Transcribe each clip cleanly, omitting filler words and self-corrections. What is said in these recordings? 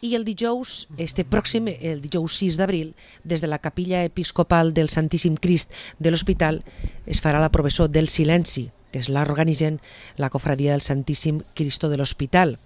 I el dijous, pròxim, el dijous 6 d'abril, des de la capilla episcopal del Santíssim Crist de l'Hospital, es farà la professó del silenci, que és l'organitzen la cofradia del Santíssim Cristo de l'Hospital.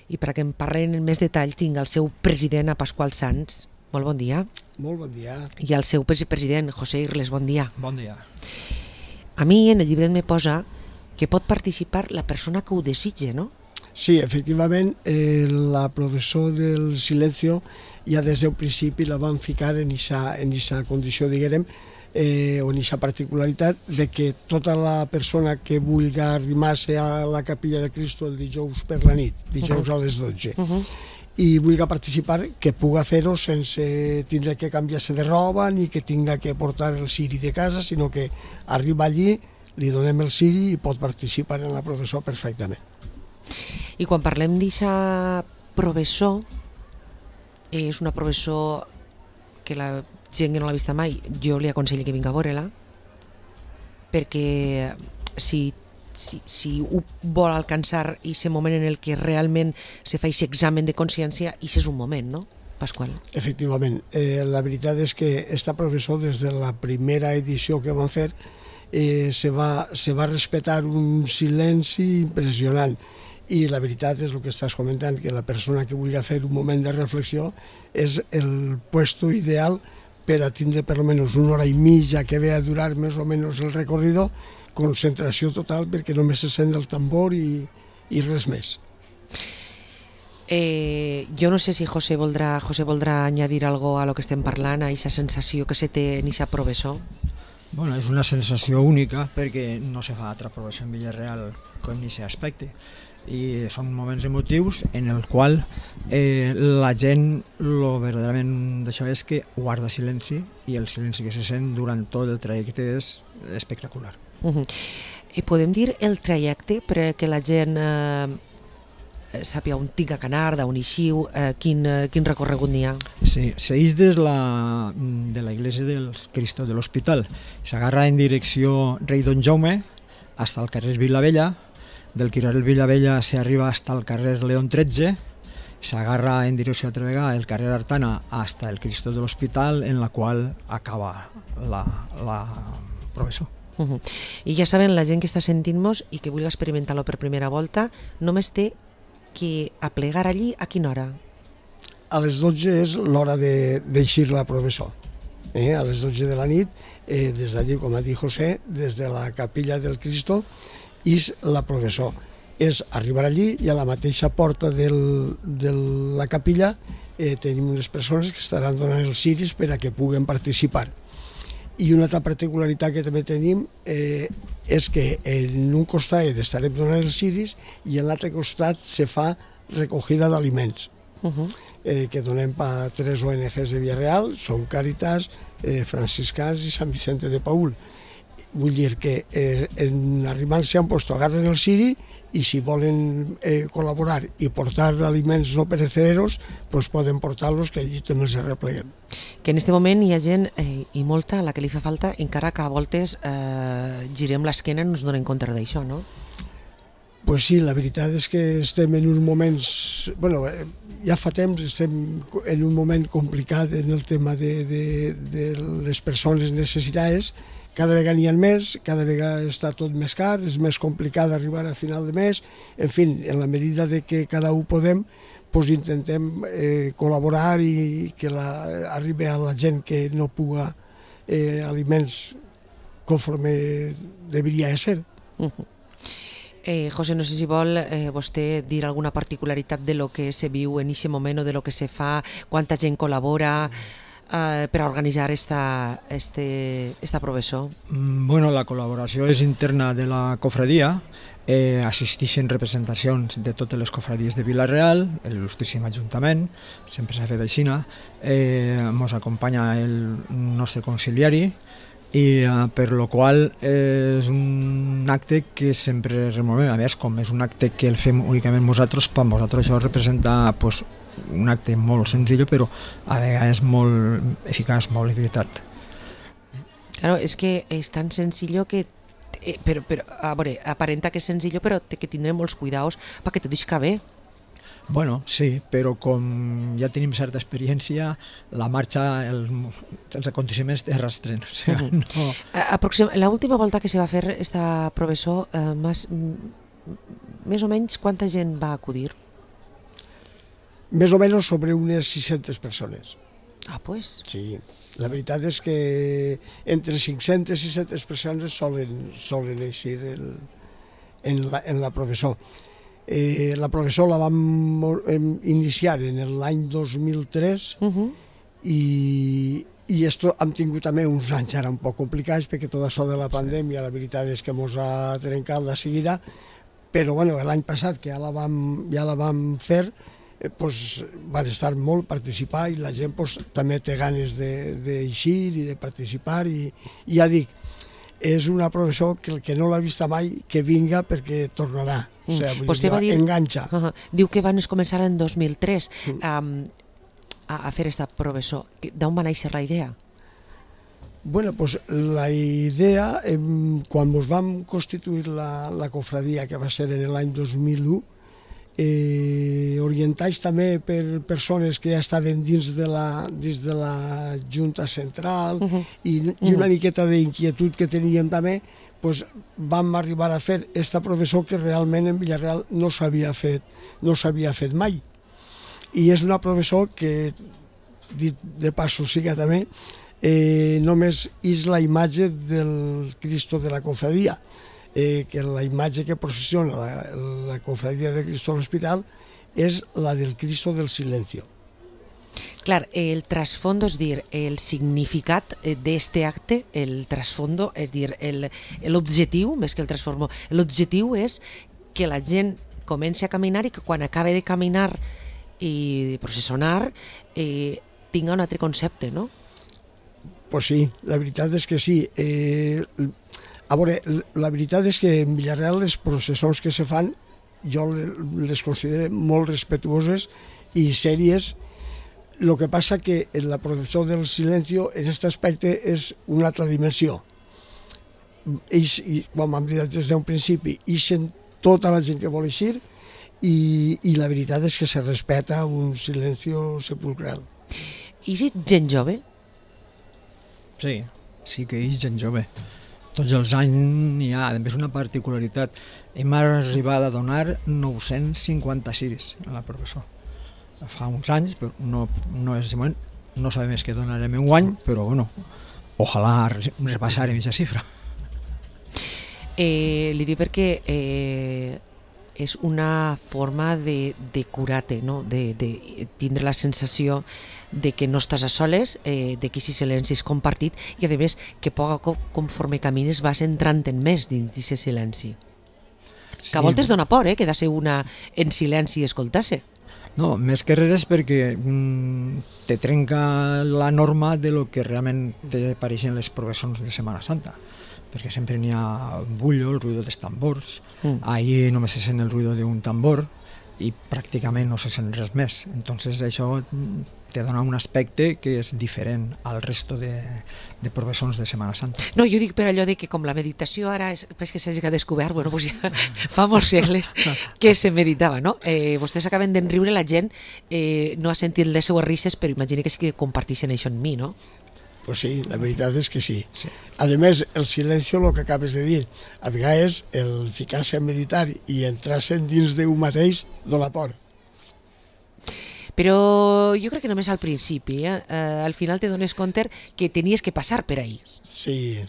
I perquè em parlen en més detall tinc el seu president, a Pasqual Sans. Molt bon dia. Molt bon dia. I el seu president, José Irles, bon dia. Bon dia. A mi en el llibret me posa que pot participar la persona que ho desitge, no? Sí, efectivament, la professó del silencio ja des del principi la van ficar en aquesta condició, diguem, o en aquesta particularitat de que tota la persona que vulgui arrimar-se a la capilla de Cristo el dijous per la nit, dijous a les 12, i vulgui participar, que puga fer-ho sense tindre que canviar-se de roba ni que tinga que portar el ciri de casa, sinó que arriba allí, li donem el ciri i pot participar en la professó perfectament. I quan parlem d'aquesta professó, és una professó que la gent que no l'ha vista mai, jo li aconsello que vingui a veure-la, perquè si ho vol alcançar i aquest moment en el que realment se fa aquest examen de consciència, i és un moment, no, Pasqual? Efectivament, la veritat és que esta professó, des de la primera edició que van fer, se va respetar un silenci impressionant. I la veritat és el que estàs comentant, que la persona que vulgui fer un moment de reflexió és el puesto ideal per a tindre per almenys una hora i mitja que ve a durar més o menys el recorrido, concentració total perquè només se sent el tambor i res més. Jo no sé si José voldrà añadir algo a lo que estem parlant, a aquesta sensació que se té en aquesta professó. Bueno, és una sensació única perquè no se fa altra professó en Villarreal com en aquest aspecte. I són moments emotius en el qual la gent, lo verdaderament d'això és que guarda silenci, i el silenci que se sent durant tot el trajecte és espectacular. I podem dir el trajecte perquè la gent sàpiga on tinga que anar, d'on eixiu, quin recorregut n'hi ha? Sí, s'eix des de la iglesia del Cristo de l'Hospital, s'agarra en direcció Rei Don Jaume fins al carrer Vilavella. Del carrer Vilavella s'arriba fins al carrer León 13, s'agarra en direcció altra vegada el carrer Artana fins al Cristo de l'Hospital, en la qual acaba la professó. I ja saben, la gent que està sentint-nos i que vulgui experimentar-lo per primera volta, només té que aplegar allí a quina hora? A les 12 és l'hora d'eixir la professó. A les 12 de la nit, des d'allí, com ha dit José, des de la capilla del Cristo, és la professó. És arribar allí i a la mateixa porta de la capilla tenim unes persones que estaran donant els ciris per a que puguen participar. I una altra particularitat que també tenim és que en un costat estarem donant els ciris i en l'altre costat se fa recollida d'aliments que donem per 3 ONGs de Villarreal, són Càritas, Franciscans i Sant Vicente de Paül. Vull dir que en arribar-se a un lloc agarren el ciri i si volen col·laborar i portar aliments no perecederos, doncs poden portar-los, que allí també els repleguem. Que en aquest moment hi ha gent, i molta, a la que li fa falta, encara que a voltes girem l'esquena i no ens donem compte d'això, no? Pues sí, la veritat és que estem en uns moments... Bueno, ja fa temps estem en un moment complicat en el tema de les persones necessitades. Cada vegada n'hi ha més, cada vegada està tot més car, és més complicat arribar a final de mes. En fi, en la medida de que cada un podem, doncs intentem col·laborar i que arribi a la gent que no puga aliments conforme deberia ser. José, no sé si vol vostè dir alguna particularitat de lo que se viu en aquest moment o de lo que se fa, quanta gent col·labora per a organitzar esta professó? Bueno, la col·laboració és interna de la cofradia, assisteixen representacions de totes les cofradies de Vila-real, l'il·lustríssim Ajuntament, sempre s'ha fet així, ens acompanya el nostre conciliari, i per lo qual és un acte que sempre removem. A més, com és un acte que el fem únicament nosaltres, per nosaltres això representa un acte molt senzill, però a vegades molt eficaç, molt de veritat. Claro, és que és tan senzill que però a veure, aparenta que és senzill, però té que tindre molts cuidados perquè tot isca bé. Bueno, sí, però com ja tenim certa experiència, la marxa, els aconteciments te arrastren. O sea, no... La última volta que se va fer esta professor, més o menys quanta gent va acudir? Més o menys sobre unes 600 persones. Ah, pues. Sí, la veritat és que entre 500 i 600 persones solen eixir en la professor. La professor la vam iniciar en l'any 2003 i esto hem tingut també uns anys ara un poc complicats perquè tot això de la pandèmia la veritat és que ens ha trencat la seguida, però bueno, l'any passat que ja la vam fer, pues, van estar molt participar i la gent pues, també té ganes d'eixir i de participar i ja dic, és una professor que el que no l'ha vista mai que vinga perquè tornarà, o sigui, Vostè va dir, enganxa. Diu que van començar en 2003 a fer esta professor. D'on va néixer la idea? Bueno, pues la idea, quan ens vam constituir la cofradia, que va ser en l'any 2001, orientats també per persones que ja estaven dins de la Junta Central i una miqueta d'inquietud que teníem també, pues vam arribar a fer esta professor que realment en Villarreal no s'havia fet mai. I és una professor que, dit de passo siga també, només és la imatge del Cristo de la cofradia, que la imatge que processiona la cofradia de Cristo de l'Hospital és la del Cristo del Silencio. Clar, el trasfondo, és dir, el significat d'este acte, el trasfondo, és dir, l'objectiu, més que el transformo, l'objectiu és que la gent comenci a caminar i que quan acabe de caminar i de processionar tinga un altre concepte, no? Pues sí, la veritat és que sí. A veure, la veritat és que en Villarreal les processons que se fan jo les considero molt respectuoses i sèries. El que passa que en la processó del Silencio en aquest aspecte és una altra dimensió. Ells, com hem dit des d'un principi, ixen tota la gent que vol eixir i la veritat és que se respecta un silencio sepulcral. I si gent jove? Sí, sí que és gent jove. Tots els anys hi ha, a més, una particularitat. Hem arribat a donar 956 a la professor. Fa uns anys, però no és de moment, no sabem què donarem en guany, però bueno, ojalà repassarem aquesta xifra. Li dic perquè és una forma de curar-te, no? De tindre la sensació de que no estàs a soles, de que aquest silenci és compartit i a més que poc a poc conforme camines vas entrant en més dins d'aquest silenci. Sí. Que a voltes dona por, que de ser una en silenci i escoltar-se. No, més que res és perquè te trenca la norma de lo que realment te pareixen les professons de Setmana Santa, perquè sempre n'hi ha bullo, el ruïdo dels tambors, ahir només se sent el ruïdo d'un tambor i pràcticament no se sent res més. Entonces això te dona un aspecte que és diferent al resto de professons de Setmana Santa. No, jo dic per allò de que com la meditació ara és que s'hagi descobert, bueno, pues ja fa molts segles que se meditava, no? Vostès acaben d'enriure, la gent no ha sentit les seues risses, però imagina que sí que comparteixen això en mi, no? Pues sí, la veritat és que sí. A més, el silencio, el que acabes de dir, a vegades el ficar-se a meditar i entrar-se dins d'un mateix dona por. Però jo crec que només al principi, al final te dones compte que tenies que passar per ahí. Sí,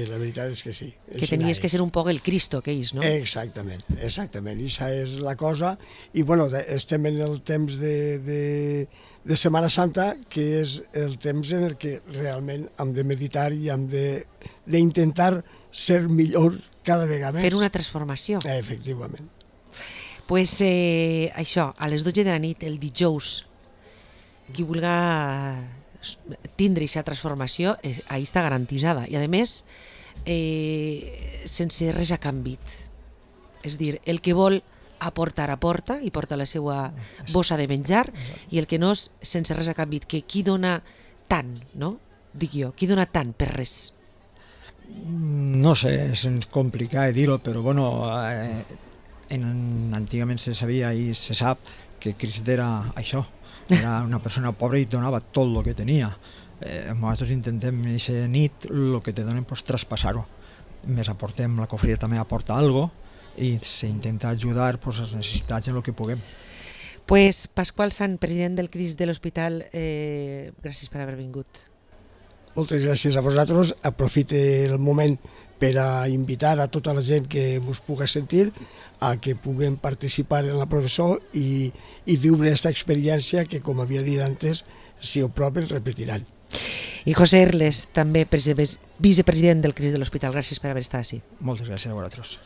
la veritat és que sí. Que tenies que ser un poc el Cristo que és, no? Exactament, això és la cosa. I bueno, estem en el temps de Setmana Santa, que és el temps en el que realment hem de meditar i hem d'intentar ser millor cada vegada més. Fer una transformació. Efectivament. Pues això, a les 12 de la nit, el dijous, qui vulgui tindre aquesta transformació, ahí està garantitzada. I a més, sense res a canvi. És dir, el que vol aportar i porta la seva bossa de menjar, i el que no és sense res a canvi, que qui dona tant, no? Dic jo, qui dona tant per res? No sé, és complicat dir-ho, però bueno, antigament se sabia i se sap que Crist era això, era una persona pobra i donava tot el que tenia. Nosaltres intentem en aquesta nit el que te donen traspassar-ho. Més aportem, la cofreria també aporta alguna cosa i s'intenta ajudar les necessitats en el que puguem. Pues Pasqual Sant, president del Crist de l'Hospital, gràcies per haver vingut. Moltes gràcies a vosaltres. Aprofite el moment per a invitar a tota la gent que us pugui sentir a que puguem participar en la processó i viure aquesta experiència que, com havia dit antes, si ho proven, repetiran. I José Erles, també vicepresident del Crist de l'Hospital, gràcies per haver estat així. Moltes gràcies a vosaltres.